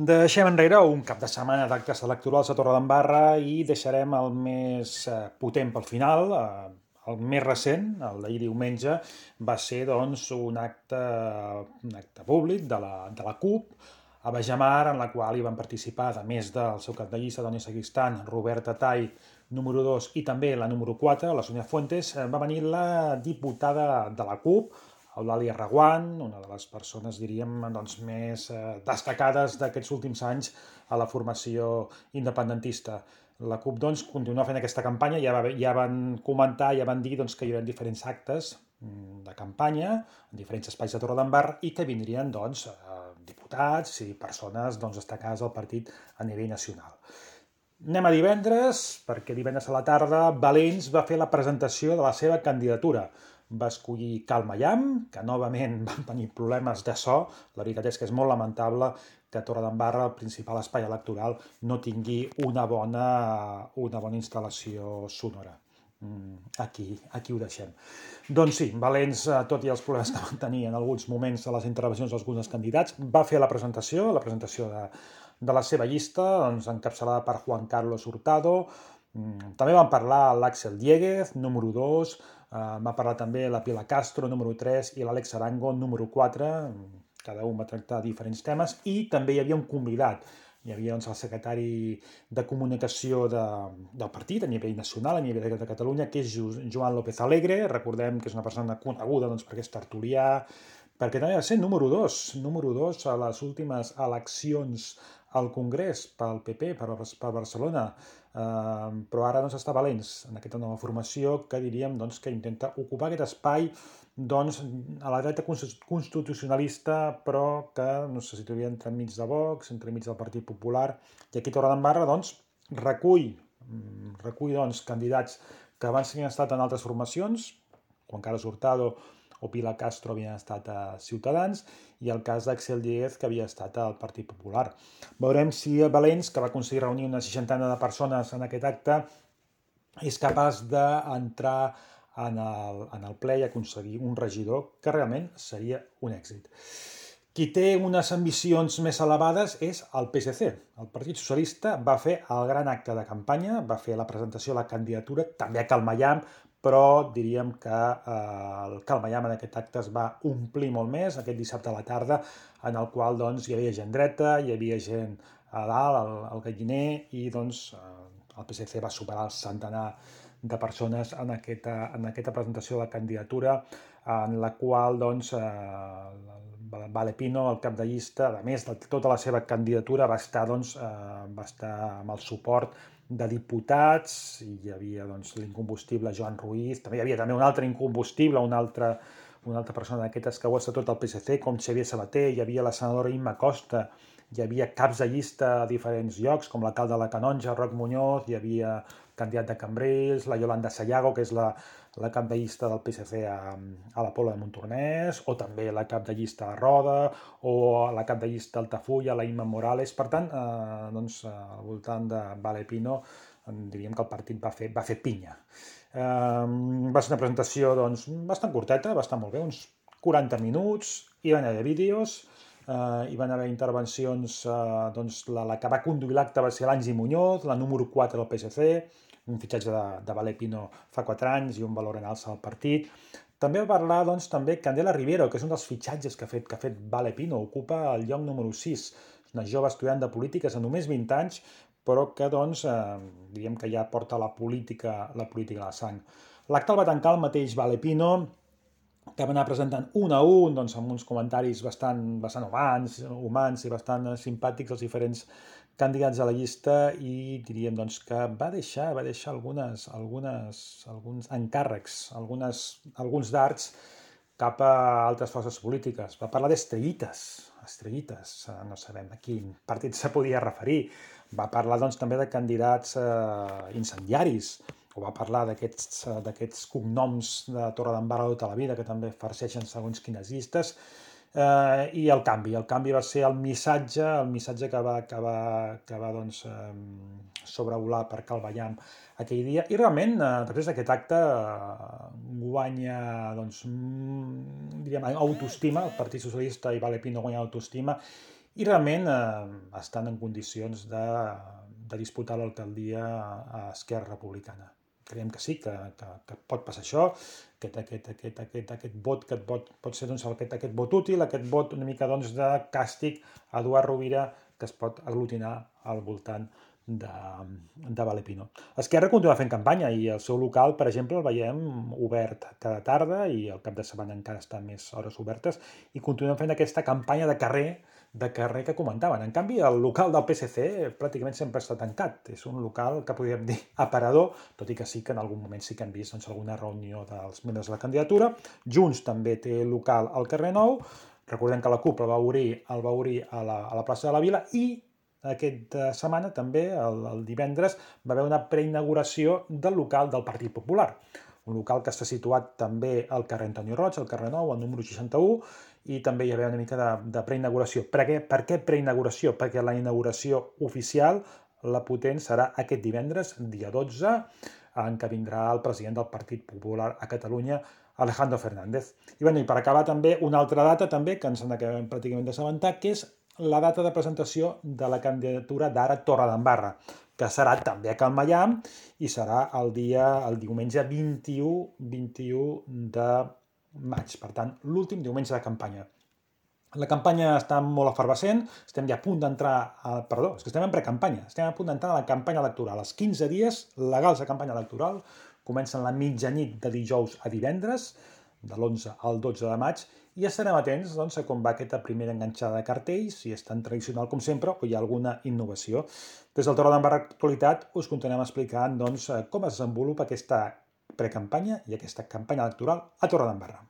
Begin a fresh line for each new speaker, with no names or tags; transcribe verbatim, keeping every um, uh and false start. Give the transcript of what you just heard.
Deixem enrere un cap de setmana d'actes electorals a Torredembarra i deixarem el més eh, potent pel final. Eh, el més recent, el d'ahir diumenge, va ser doncs, un, acte, un acte públic de la, de la CUP a Bajamar, en la qual hi van participar, a més del seu cap de llista, Doni Seguistan, Roberta Tai, número dos, i també la número quatre, la Sonia Fuentes, eh, va venir la diputada de la CUP, Eulàlia Reguant, una de les persones, diríem, doncs, més eh, destacades d'aquests últims anys a la formació independentista. La CUP doncs, continua fent aquesta campanya, ja, va, ja van comentar, ja van dir doncs, que hi haurà diferents actes mm, de campanya en diferents espais de Torredembarra i que vindrien doncs, eh, diputats i persones doncs, destacades del partit a nivell nacional. Anem a divendres, perquè divendres a la tarda Valens va fer la presentació de la seva candidatura. Va escollir Cal Mayam, que novament van tenir problemes de so. La veritat és que és molt lamentable que a Torredembarra, el principal espai electoral, no tingui una bona, una bona instal·lació sonora. Aquí, aquí ho deixem. Doncs sí, Valens, tot i els problemes que van tenir en alguns moments de les intervencions d'alguns candidats, va fer la presentació, la presentació de, de la seva llista, doncs, encapçalada per Juan Carlos Hurtado. També van parlar l'Àxel Diéguez, número dos, va parlar també la Pilar Castro, número tres, i l'Àlex Arango, número quatre. Cada un va tractar diferents temes i també hi havia un convidat. Hi havia doncs, el secretari de comunicació de, del partit a nivell nacional, a nivell de Catalunya, que és Joan López Alegre. Recordem que és una persona coneguda doncs, perquè és tertulià, perquè també va ser número dos, número dos a les últimes eleccions al Congrés pel P P, per, per Barcelona. Uh, però ara doncs, està Valens en aquesta nova formació que diríem doncs, que intenta ocupar aquest espai doncs, a la dreta constitucionalista, però que no se situaria entremig de Vox, entremig del Partit Popular, i aquí a Torredembarra doncs, recull, recull doncs, candidats que abans havien estat en altres formacions, Juan Carlos Hurtado o Pilar Castro havien estat a Ciutadans, i el cas d'Axel Diéguez, que havia estat al Partit Popular. Veurem si el Valens, que va aconseguir reunir una seixantena de persones en aquest acte, és capaç d'entrar en el, en el ple i aconseguir un regidor que realment seria un èxit. Qui té unes ambicions més elevades és el P S C. El Partit Socialista va fer el gran acte de campanya, va fer la presentació de la candidatura, també a Cal Mayam, però diríem que eh, el Cal Mayam en aquest acte es va omplir molt més aquest dissabte a la tarda, en el qual doncs, hi havia gent dreta, hi havia gent a dalt, al, al galliner, i doncs, eh, el P S C va superar el centenar de persones en aquesta, en aquesta presentació de la candidatura, en la qual doncs, eh, Vale Pino, el cap de llista, a més de tota la seva candidatura, va estar, doncs, eh, va estar amb el suport de diputats, i hi havia doncs, l'incombustible Joan Ruiz, també hi havia també un altre incombustible, un altre, una altra persona d'aquestes que ho ha estat tot el P S C, com Xavier Sabater, hi havia la senadora Imma Costa, hi havia caps de llista a diferents llocs, com l'alcalde de la Canonja, Roc Muñoz, hi havia candidat de Cambrils, la Yolanda Sayago, que és la, la cap de llista del P S C a, a la Pobla de Montornès, o també la cap de llista a Roda, o la cap de llista a Altafulla, la Imma Morales. Per tant, eh, doncs, al voltant de Vale Pino, diríem que el partit va fer, va fer pinya. Eh, va ser una presentació doncs, bastant curteta, bastant molt bé, uns quaranta minuts, hi van haver vídeos, Uh, hi van haver intervencions, uh, doncs la, la que va conduir l'acte va ser l'Angi Muñoz, la número quatre del P S C, un fitxatge de, de Vale Pino fa quatre anys i un valor en alça al partit. També va parlar doncs, també Candela Rivero, que és un dels fitxatges que ha fet, que ha fet Vale Pino, ocupa el lloc número sis, una jove estudiant de polítiques de només vint anys, però que doncs, eh, diríem que ja porta la política, la política a la sang. L'acte el va tancar el mateix Vale Pino, que va anar presentant un a un, doncs, amb uns comentaris bastant, bastant humans, humans i bastant simpàtics als diferents candidats a la llista, i diríem doncs, que va deixar, va deixar algunes, algunes, alguns encàrrecs, algunes, alguns dards cap a altres forces polítiques. Va parlar d'estrellites, estrellites, no sabem a quin partit se podia referir. Va parlar doncs, també de candidats eh, incendiaris, o va parlar d'aquests cognoms de Torredembarra de tota la vida, que també farceixen segons quines llistes, eh, i el canvi. El canvi va ser el missatge, el missatge que va, que va, que va doncs, eh, sobrevolar per Cal Mayam aquell dia, i realment, eh, després d'aquest acte, eh, guanya, doncs, diríem, autoestima, el Partit Socialista i Vale Pino guanya autoestima, i realment eh, estan en condicions de, de disputar l'alcaldia a Esquerra Republicana. Creiem que sí, que, que, que pot passar això, aquest, aquest, aquest, aquest, aquest vot que pot, pot ser doncs, aquest, aquest vot útil, aquest vot una mica doncs, de càstig a Eduard Rovira, que es pot aglutinar al voltant de, de Valepino. Esquerra continua fent campanya i el seu local, per exemple, el veiem obert cada tarda i el cap de setmana encara està més hores obertes i continuen fent aquesta campanya de carrer de carrer que comentaven. En canvi, el local del P S C pràcticament sempre està tancat. És un local que podríem dir aparador, tot i que sí que en algun moment sí que hem vist doncs, alguna reunió dels membres de la candidatura. Junts també té local al carrer Nou. Recordem que la CUP el va obrir, el va obrir a, la, a la plaça de la Vila i aquesta setmana també, el, el divendres, va haver una preinauguració del local del Partit Popular. Un local que està situat també al carrer Antonio Roig, al carrer Nou, al número seixanta-u, i també hi havia una mica de, de preinauguració. Per què, per què preinauguració? Perquè la inauguració oficial, la potent, serà aquest divendres, dia dotze, en què vindrà el president del Partit Popular a Catalunya, Alejandro Fernández. I, bueno, i per acabar també una altra data també, que ens sembla que hem pràcticament d'assabentar, que és la data de presentació de la candidatura d'Ara Torredembarra, que serà també a Can Maià i serà el dia, el diumenge vint-i-u, vint-i-u de maig, per tant, l'últim diumenge de campanya. La campanya està molt efervescent, estem ja a punt d'entrar, a, perdó, és que estem en precampanya, estem a punt d'entrar a la campanya electoral. Els quinze dies legals de campanya electoral comencen la mitjanit de dijous a divendres, de l'onze al dotze de maig, i estarem atents doncs, a com va aquesta primera enganxada de cartells, si és tan tradicional com sempre o hi ha alguna innovació. Des del Torredembarra Actualitat us continuem explicant doncs, com es desenvolupa aquesta precampanya i aquesta campanya electoral a Torredembarra.